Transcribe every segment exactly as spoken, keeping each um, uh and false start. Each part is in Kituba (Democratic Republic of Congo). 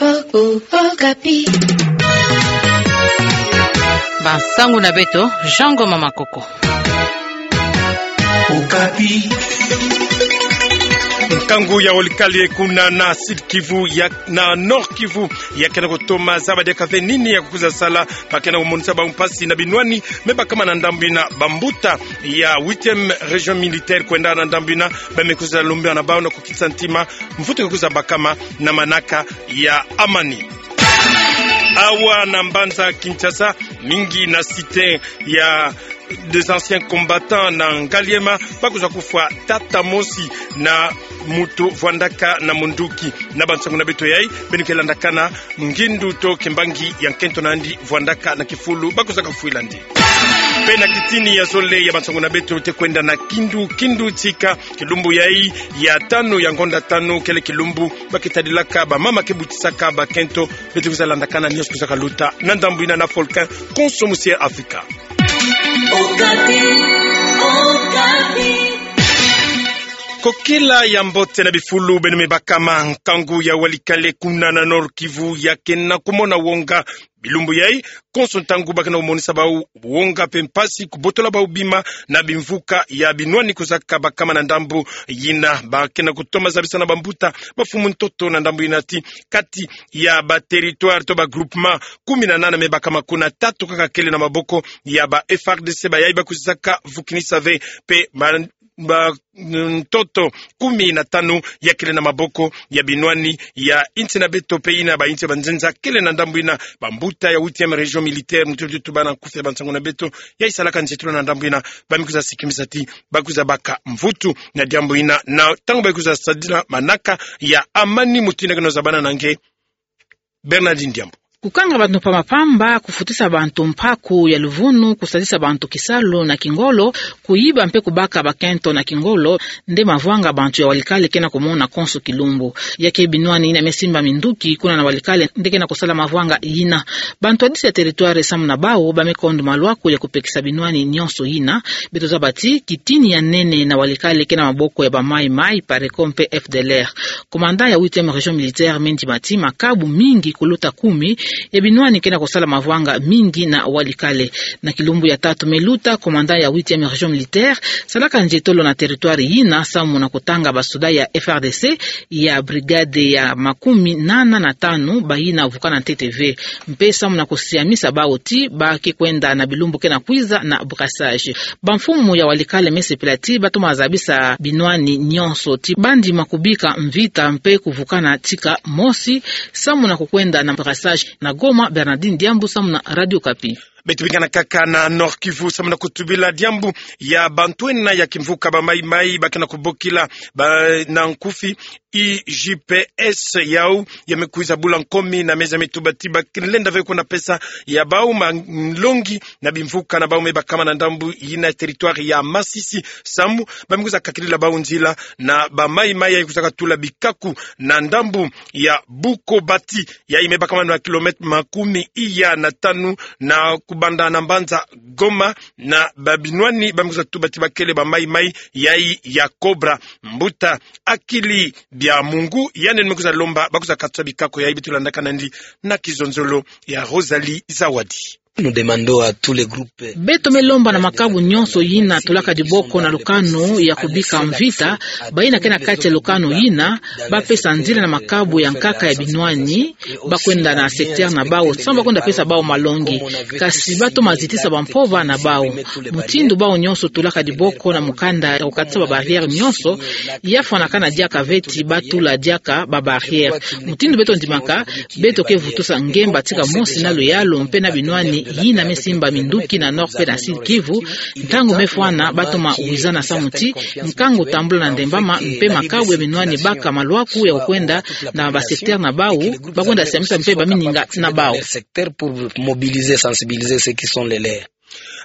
Oh, oh, Okapi. Bansangu na beto, Jean Ngoma Makoko. Okapi. Nkangu ya Walikale kuna na Sud Kivu ya, na Nord Kivu, ya ke na kutoma zaba diaka ve nini ya kukwiza sala, ba ke na kumonisa bawu mpasi na binwani me bakama na ndambu ina. Bambuta ya huitième région militaire kwenda na ndambu ina, ba me kwiza lomba na bawu na kukitisa ntima mvutu ke kwiza bakama na manaka ya amani. Awa na mbanza Kinshasa, mingi na cité ya des anciens combattants na Ngaliema, ba kwiza kufwa tata mosi na muntu vwandaka na munduki. Na bansangu na beto yai, beno ke landakana ngindu to kimbangi ya nkento na yandi vwandaka na kifulu ba kwiza kafwila ndi. Mpe na kitini ya zole ya bansangu na beto, te kwenda na Kindu, Kindu tika, kilumbu yai ya tanu ya ngonda tanu, kele kilumbu ba ke tadilaka bamama ke butisaka bakento. Beto kwiza landakana nionso kwiza kaluta na ndambu ina na Volcan Konso Musier Afrika. Okapi, Okapi. Kokila ya mbote na bifulu beno me bakama. Nkangu ya Walikale kuna na Nord Kivu ya ke na kumona wonga bilumbu yai, konso ntangu ba ke na kumonisa bawu wonga mpe mpasi, kubotola bawu bima na bimvuka ya binwani kwizaka bakama na ndambu ina. Ba ke na kutoma zabisa na bambuta, bamfumu ntoto na ndambu ina ti kati ya ba territoire to ba groupement kumi na nana me bakama, kuna tatu kaka kele na maboko ya ba F R D C, bayai ba kwizaka vukinisa ve mpe ba, ba, mm, ntoto kumi na tanu ya kele na maboko ya binwani ya insi na beto mpe ina ba insi ya banzenza kele na ndambu ina. Bambuta ya huitième région militaire, mutu beto tubana nkufi ya bansangu na beto, yai salaka nzietolo na ndambu ina, ba me kwiza sikimisa ti ba kwiza baka mvutu na diambu ina, na ntangu ba kwiza sadila manaka ya amani. Mutu ina ke na zabana na nge, Bernardine Diambu. Kukanga bantu mpamba-mpamba, kufutisa bantu mpaku ya luvunu, kusalisa bantu kisalu na kingolo, kuyiba mpe kubaka bakento na kingolo, nde mavwanga bantu ya Walikale ke na kumona konso kilumbu. Ya ke binwani ina me simba minduki kuna na Walikale nde ke na kusala mavwanga ina. Bantu ya disi ya territoire samu na bawu ba me kondo malwaku ya kupekisa binwani nionso ina. Beto zaba ti kitini ya nene na Walikale ke na maboko ya ba Maï-Maï, Pareko mpe F D L R. Commandant ya huitième région militaire me ndima ti makabu mingi kuluta kumi ya binwani ke na kusala mavwanga mingi na Walikale. Na kilumbu ya tatu me luta, commandant ya huitième région militaire salaka nzietolo na territoire yina samu na kutanga basoda ya F R D C ya brigade ya makumi nana na tanu, bayina vukana ntete ve. Mpe samu na kusiamisa bawu ti ba ke kwenda na bilumbu ke na kwiza na brassage. Bamfumu ya Walikale me sepela ti ba toma zabisa binwani nionso ti ba ndima kubika mvita mpe kuvukana tika mosi samu na kukwenda na brassage. Na Goma, Bernardine Diambu samu na Radio Okapi. Beto bingana kaka na Nord-Kivu samu na kutubila diambu ya bantu ena ya kimvuka ba Maï-Maï ba ke na kubokila ba na nkufi I G P S, yawu ya me kwiza bula nkomi na meza me tuba ti ba ke lenda ve kwenda pesa ya bawu malongi na bimvuka na bawu me bakama na ndambu yina territoire ya Masisi, samu ba me kwiza kakilila bawu nzila na ba Maï-Maï ya kwizaka tula bikaku na ndambu ya Bukobati, yayi me bakama na kilomètre makumi iya na tanu na kubanda na mbanza Goma, na ba binwani ba me kwiza tuba ti ba kele ba Maï-Maï yayi ya Cobra. Mbuta Akili Biamungu, yandi me kwiza lomba ba kwiza katusa bikaku yayi. Beto landakana ndi na kizonzolo ya Rosalie Zawadi. Nous demandons à tous les groupes. Beto me lomba na makabu nionso yina tulaka diboko na lukanu ya kubika mvita, bayina ke na kati ya lukanu yina, ba pesa nzila na makabu ya nkaka ya binwani ba kwenda na secteur na bawu, samu ba kwenda pesa bawu malongi. Kasi ba toma zitisa bampova na bawu. Mutindu bawu nionso tulaka diboko na mukanda ya kukatisa ba barrières nionso, ya fwanakana diaka ve ti ba tula diaka ba barrières. Mutindu beto ndimaka, beto ke vutusa ngemba tika mosi na luyalu mpe na binwani yina me simba minduki na Nord mpe na Sud Kivu. Ntangu me fwana, ba toma wizana samu ti nkangu tambula na ndembama, mpe makabu ya binwani baka malwaku ya kukwenda na ba secteur na bawu, ba kwenda siamisa mpe bamininga na bawu. Secteur pour mobiliser, sensibiliser ceux qui sont les leurs.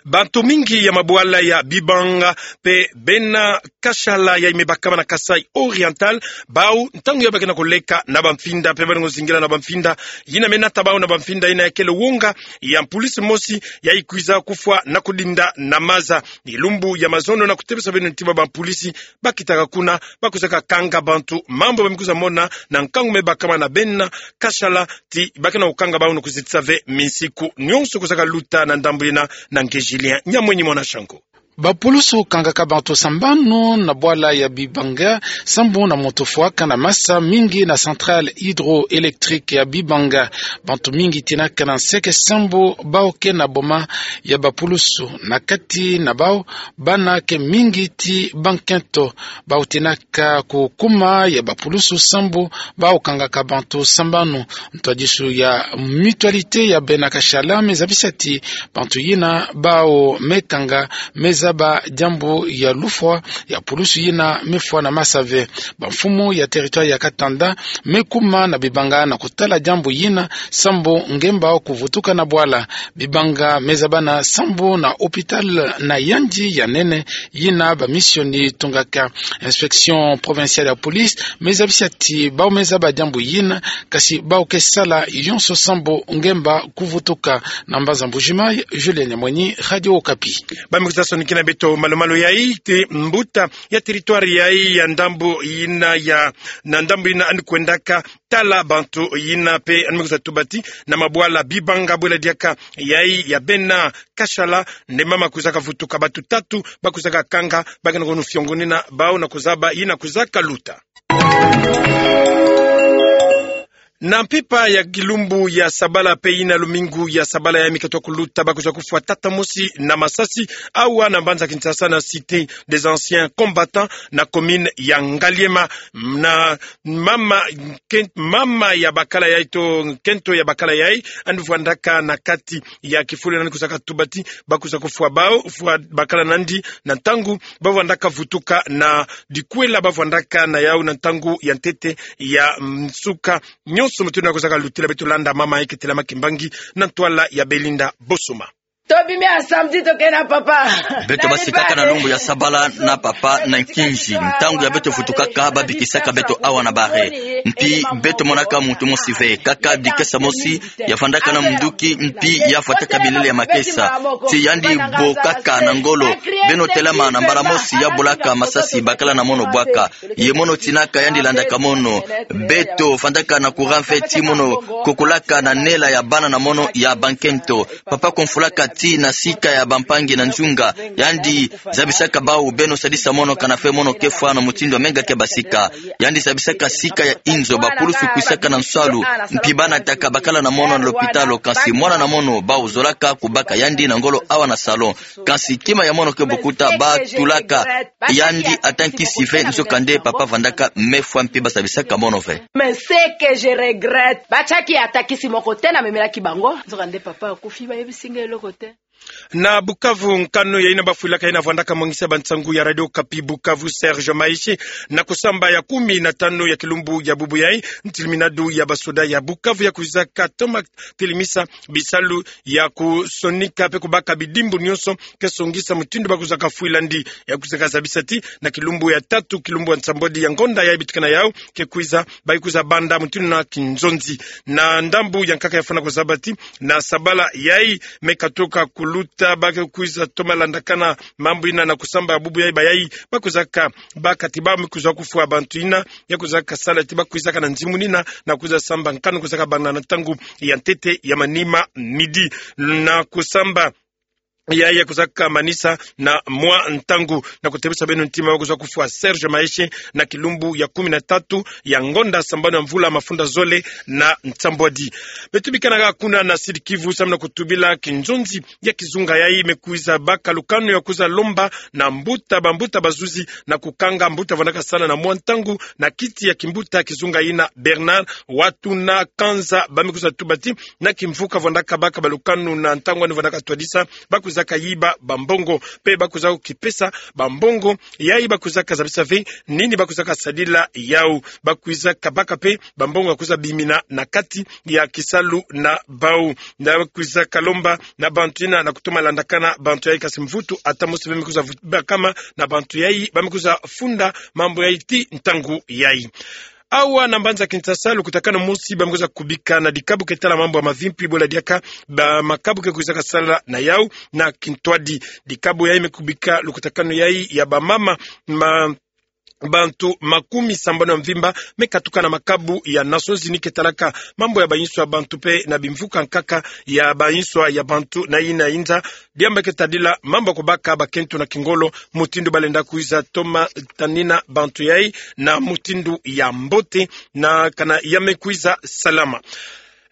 Bantu mingi ya mabwala ya Bibanga pe Bena Kashala yayi me bakama na Kasaï Oriental, bau ntangu ya ba ke na koleka na bamfinda pe ba na kozingila na bamfinda yina me nata bau na bamfinda yina ya kele wonga ya mpulisi mosi yayi kwiza kufwa na kudinda na maza. Ni lumbu ya mazono na kutebisa beno ntima bampulisi ba kitaka kuna, ba kwizaka kanga bantu mambu ba me kwiza mona na nkangu me bakama na Bena Kashala, ti ba ke na kukanga bau na kuzitisa ve minsiku nionso kwizaka luta na ndambu yina. Na nge Julien Nyamwenyi mwana Shango. Bapulusu kangaka bantu sambanu na bwala ya Bibanga, sambu na muntu fwaka na masa mingi na centrale hydroélectrique ya Bibanga. Bantu mingi tinaka na nseke sambu bau ke na boma ya bapulusu. Na kati na bau, bana ke mingi ti bankento. Bau tinaka ku kuma ya bapulusu sambu bau kangaka bantu sambanu. Ntwadisu ya Mutualité ya Bena Kashala me zabisa ti bantu yina bau me kanga me zaba diambu ya lufwa ya pulusu yina me fwa na masa ve. Bamfumu ya territoire ya Katanda me kuma na Bibanga na kutala diambu yina sambu ngemba kuvutuka na bwala. Bibanga me zabana sambu na hôpital na yandi ya nene yina bamisioni tungaka. Inspection provinciale ya police me zabisa ti bau me zaba diambu yina, kasi bau ke sala yonso sambu ngemba kuvutuka. Na mbanza Mbuji-Mayi, Julien Nyamwenyi, Radio Okapi. Ba me kwiza sonikina beto malu-malu yayi ti mbuta ya territoire yayi ya ndambu yina ya, na ndambu yina yandi kwendaka tala bantu yina pe yandi me kwiza tuba ti na mabwala Bibanga bwela diaka yayi ya Bena Kashala, nde mama kwizaka vutuka, bantu tatu ba kwizaka kanga, ba ke na kunu fiongonina bau na kuzaba yina kwizaka luta. Na mpimpa ya kilumbu ya sabala pe yina lumingu ya sabala ya me katuka kuluta, ba kwiza kufwa tata mosi na masasi awa na mbanza Kinshasa na Cité des anciens combattants na commune ya Ngaliema. Na mama, ken-, mama ya bakala yayi to nkento ya bakala yayi, yandi vwandaka na kati ya kifulu, yandi kwizaka tuba ti ba kwiza kufwa bau, fwa bakala na yandi na ntangu ba vwandaka vutuka na dikwela ba vwandaka na yau na ntangu ya ntete ya nsuka. Nionso mutindu yandi kwizaka lutila, beto landa mama yayi ke telama kimbangi na ntwala ya Belinda Bosoma. Tobimi ya samedi, toke na papa. Beto basikaka na lumbu ya sabala na papa na nkinzi. Ntangu ya beto vutukaka, ba bikisaka beto awa na barre. Mpi beto monaka muntu mosi ve, kaka dikesa mosi ya vandaka na munduki, mpi ya fwataka bilele ya makesa. Ti yandi bokaka na ngolo: Beno telama! Na mbala mosi ya bolaka masasi: Bakala na mono, bwaka. Ye mono tinaka, yandi landaka mono. Beto vandaka na courant ve ti mono kokolaka na nela ya bana na mono ya bankento. Papa konfulaka ti na sika ya bampangi na nzunga. Yandi zabisaka bau: Beno sadisa mono, kana ve mono ke fwa na mutindu ya menga ke basika. Yandi zabisaka sika ya inzo. Bapulusu kwisaka na nsalu, mpi ba nataka bakala na mono na lopitalo, kansi mwana na mono bau zolaka kubaka yandi na ngolo awa na salon. Kansi kima ya mono ke bukuta, ba tulaka yandi ata nkisi ve, nzokande papa vandaka me fwa mpi ba zabisaka mono ve. Mais ce que je regrette, batiaki ata nkisi moko te na memelaki bango. Nzokande papa akufi, bayebisi nge eloko te. Na Bukavu, nkanu ya yina bafwilaka yina vwandaka mwangisa bansangu ya Radio Okapi Bukavu, Serge Maeshe, na kusamba ya kumi na tanu ya kilumbu ya bubu yayi, ntiliminadu ya basoda ya Bukavu ya kwizaka toma telemisa bisalu ya kusonika pe kubaka bidimbu nionso ke songisa mutindu ba kwizaka fwila yandi. Ya kwizaka zabisa ti na kilumbu ya tatu, kilumbu ya nsambwadi ya ngonda yayi bitikana yau ke kwiza, ba ke kwiza banda mutindu na kinzonzi. Na ndambu ya nkaka ya fwana kuzaba ti na sabala yayi me katuka kuluta, ba ke kwiza toma landakana mambu yina na kusamba bubu yayi, bayayi ba kwizaka baka ti ba me kwiza kufwa bantu yina ya kwizaka sala ti ba kwizaka na nzimunina na kwiza samba nkanu kwizaka banda na ntangu ya ntete ya manima, midi. Na kusamba yayi ya kwizaka manisa na mwa ntangu. Na kutebisa beno ntima, ba kwiza kufwa Serge Maeshe na kilumbu ya kumi na tatu ya ngonda sambanu ya mvula mafunda zole na nsambwadi. Beto bikana ha kuna na Sud-Kivu, samu na kutubila kinzonzi ya kizunga yayi me kwiza baka lukanu ya kwiza lomba na mbuta, bambuta bazuzi na kukanga mbuta vwandaka sala na mwa ntangu na kiti ya kimbuta kizunga yina, Bernard Watuna Kanza. Ba me kwiza tuba ti na kimvuka vwandaka baka balukanu na ntangu yandi vwandaka twadisa, ba kwiza kwizaka yiba bambongo, mpe ba kwizaka kipesa bambongo yayi ba kwizaka zabisa ve nini ba kwizaka sadila yawu. Ba kwizaka baka mpe bambongo ya kwiza bimina na kati ya kisalu na bawu. Na kwizaka lomba na bantu yina na kutoma landakana bantu yayi, kasi mvutu ata mosi bamemi kwiza vu-, bakama na bantu yayi bamemi kwiza funda mambu yayi ti ntangu yayi. Awa na mbanza Kinshasa, lukutakanu mosi bamemi kwiza kubika na dikabu ke tala mambu ya mavimpi, bwela diaka ba makabu ke kwizaka sala na yawu na kintwadi. Dikabu yayi me kubika lukutakanu yayi ya bamama, ma bantu makumi sambanu ya mvimba me katuka na makabu ya Nations Unies ke talaka mambu ya bayinswa ya bantu mpe na bimvuka nkaka ya bayinswa ya bantu na yina yinza. Diambu ke tadila mambu ya kubaka bakento na kingolo, mutindu balenda kwiza toma tanina bantu yayi na mutindu ya mbote, na kana ya me kwiza salama.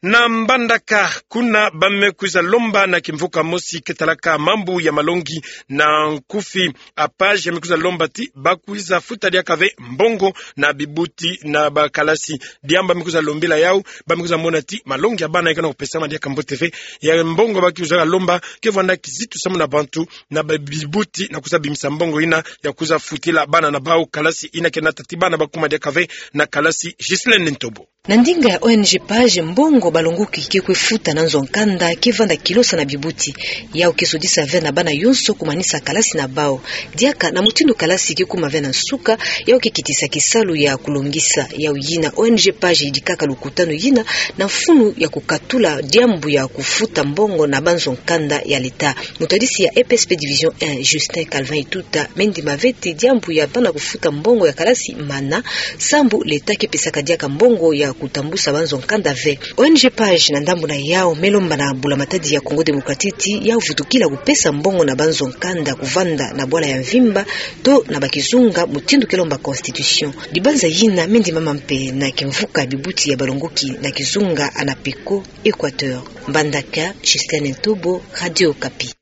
Na Mbandaka kuna, ba me kwiza lomba na kimvuka mosi ke talaka mambu ya malongi na nkufi, APAGE, ya me kwiza lomba ti ba kwiza futa diaka ve mbongo na bibuti na bakalasi. Diambu ba me kwiza lombila yawu, ba me kwiza mona ti malongi ya bana ya ke na kupesama diaka mbote ve. Ya mbongo ba kwiza lomba ke vwanda kizitu samu na bantu na ba-, bibuti na kwiza bimisa mbongo yina ya kwiza futila bana na bawu kalasi, yina ke nata ti bana ba kuma diaka ve na kalasi. Ghislaine Ntobo. Na ndinga ya O N G APAGE, mbongo balongoki ke kwe futa na nzo ya nkanda ke vanda kilosa na bibuti. Yawu ke sodisa ve na bana yonso kumanisa kalasi na bawu. Diaka na mutindu kalasi ke kuma ve na nsuka, yawu ke kitisa kisalu ya kulongisa. Yawu yina O N G APAGE yidikaka lukutanu yina na mfunu ya kukatula diambu ya kufuta mbongo na banzo ya nkanda ya l'État. Mutadisi ya E P S P Division un, Justin Calvin Ituta, me ndima ve ti diambu ya bana kufuta mbongo ya kalasi mana, sambu l'État ke pesaka diaka mbongo ya kutambusa banzo ya nkanda ve. O N G APAGE na ndambu na yawu me lomba na Bula Matadi ya Congo Démocratique ti yawu vutukila kupesa mbongo na banzo ya nkanda kuvanda na bwala ya mvimba to na bakizunga, mutindu ke lomba Constitution. Dibanza yina me ndimama mpe na kimvuka bibuti ya balongoki na kizunga ANAPECO Équateur. Mbandaka, Ghislaine Ntobo, Radio Okapi.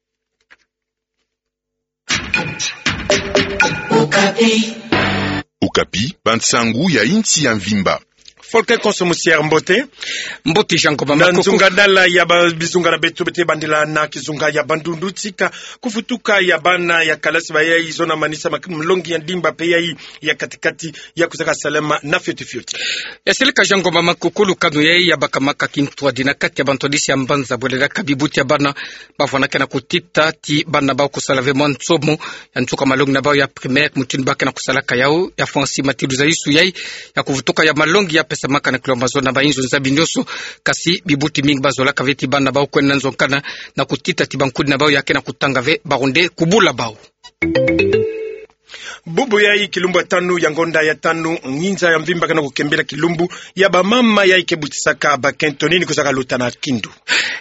Okapi. Okapi, bansangu ya insi ya mvimba. Volker Konso Musier, mbote. Mbote Jean Ngomba Makoko. Na nzunga dala ya ba-, bizunga na beto, beto bandila na kizunga ya Bandundu, tika kufutuka ya bana ya kalasi bayayi zona manisa mak-, malongi ya ndimba mpe yayi ya kati-kati ya kwizaka salama na fioti-fioti. Ya seleka Jean Ngomba Makoko, lukanu yayi ya bakamaka kintwadi na kati ya bantwadisi ya mbanza, bwela diaka bibuti ya bana bavwandaka na kutita ti bana bawu kusala ve mwa nsomo ya nsuka malongi na bawu ya primaire, mutindu ba ke na kusalaka yawu. Ya fwansi matidu zaisu yayi ya kuvutuka ya malongi ya pesamaka na kilo mazo na bayinzo nzabi nyonso, kasi bibuti mingi bazolaka ve ti bana bawu kwenda na nzo ya nkanda na kutita ti bankudi na bawu ya ke na kutanga ve, baronde kubula bawu. Bubu yayi kilumbu ya tanu ya ngonda ya tanu, nginza ya mvimba ke na kukembela kilumbu ya bamama yayi ke butisaka bakento. Nini kwizaka luta na kindu?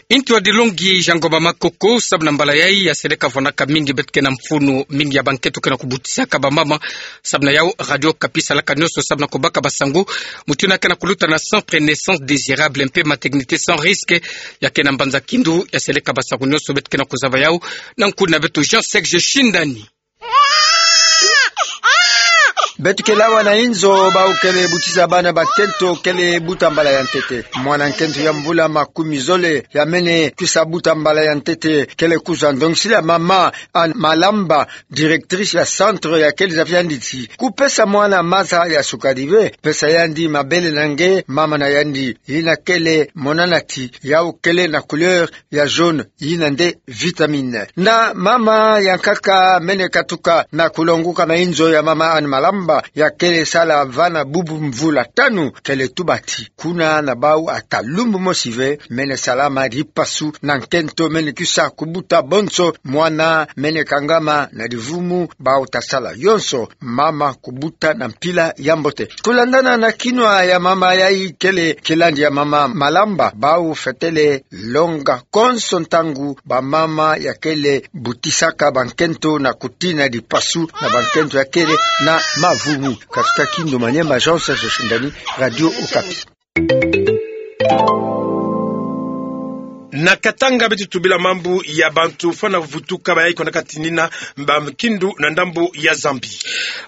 Intu ya dilongi Jean Ngomba Makoko, samu na mbala yayi ya seleka vwandaka mingi beto ke na mfunu mingi ya bankento ke na kubutisaka bamama. Samu na yawu, Radio Okapi salaka nyonso samu na kubaka basangu mutindu ya ke na kuluta na centre Naissance Désirable mpe maternité sans risque ya ke na mbanza Kindu. Ya seleka basangu nyonso beto ke na kuzaba yawu na nkundi na beto Jean Serge Shindani. Beto kele awa na inzo, bawu kele butisa bana bakento kele buta mbala ya ntete. Mwana nkento ya mvula makumi zole ya mene kwisa buta mbala ya ntete kele kwiza ndongisila mama Anne Malamba, directrice ya centre ya kele, za yandi ti kupesa mwana maza ya sukari ve, pesa yandi mabele na nge mama na yandi. Yina kele monana ti yawu kele na couleur ya jaune, yina nde vitamine. Na mama ya nkaka mene katuka na kulonguka na inzo ya mama Anne Malamba, ya kele sala vana bubu mvula tanu, kele tuba ti kuna na bawu ata lumbu mosi ve mene salama dipasu na nkento mene kwisa kubuta bonso, mwana mene kangama na divumu, bawu ta sala yonso, mama kubuta na mpila ya mbote. Kulandana na kinwa ya mama yayi kele kilandi ya mama Malamba, bawu fwetele longa konso ntangu bamama ya kele butisaka bankento na kutina dipasu na bankento ya kele na mavumu. Katuka Kindu Maniema, Jean Serge Shindani, Radio Okapi. Na Katanga beto tubila mambu ya bantu fwana vutuka bayai kwenda katinina ba kindu na ndambu ya Zambie.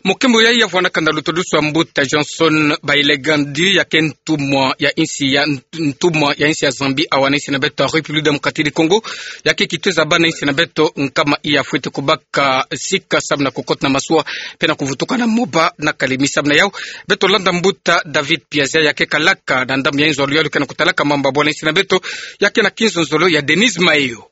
Mukimbu yayi ya vwandaka na lutodusu wa mbuta Johnson Bailey Gandi, ya ke ntumwa ya insi ya, ntumwa ya insi ya Zambie awa na insi na beto République Démocratique du Congo, ya ke kituza bana insi na beto nkama iya fwete kubaka sika samu na kukota na masuwa, pe na kuvutuka na moba na kalemi. Samu na yau, beto landa mbuta David Piazza, ya ke kalaka na ndambu ya inzolo yalu ke na kutalaka mambu ya bwana insi na beto, ya ke na kinzonzolo ya Denise Mayo.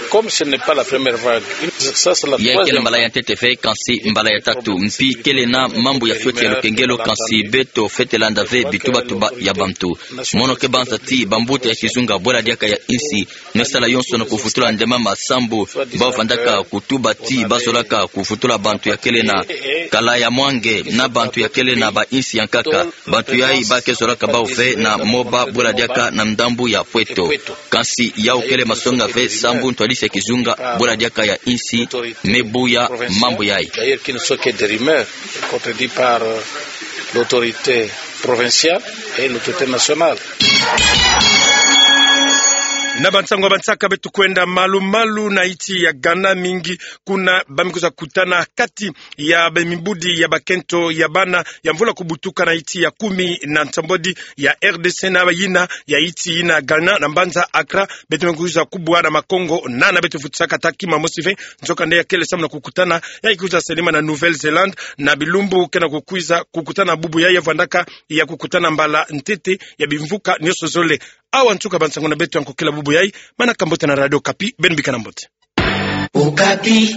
Comme ce n'est pas la première vague, ça, c'est la troisième vague. Ya kele mbala ya ntete ve, kansi mbala ya tatu. Mpi kele na mambu ya fioti ya lukengelo, kansi beto fwete landa ve bitubatuba ya bantu. Mono ke banza ti bambuta ya kizunga bwela diaka ya insi, nge sala yonsono kuvutula nde mama sambu ba vandaka kutuba ti ba zolaka kuvutula bantu ya kele na kala ya mwange na bantu ya kele na ba insi ya nkaka. Bantu yayi ba ke zolaka bau ve na moba bwela diaka na ndambu ya pweto. Kansi yau kele masonga ve sambu ntwadisi ya kizunga bwela diaka ya insi me buya mambu yayi. D'ailleurs, qui ne sont que des rumeurs, contredit par, euh, l'autorité provinciale et l'autorité nationale. Na bansangu ya bansaka beto kwenda malu-malu na insi ya Ghana, mingi kuna ba me kwiza kutana kati ya bamimbudi ya bakento ya bana ya mvula kubutuka na insi ya kumi na nsambwadi ya R D C na yina ya insi yina Ghana na mbanza Accra. Beto me kwiza kubwa na makongo nana beto vutusaka taki mamosi ve. Nzokande ya kele samu na kukutana, ya kwiza selima na Nouvelle-Zélande na bilumbu ke na kukwiza kukutana bubu yayi ya vwandaka ya kukutana mbala ntete ya bimvuka nionso zole. Awa nsuka bansangu na beto ya nkokila bubu yayi. Manaka mbote na Radio Okapi, beno bika na mbote. Okapi.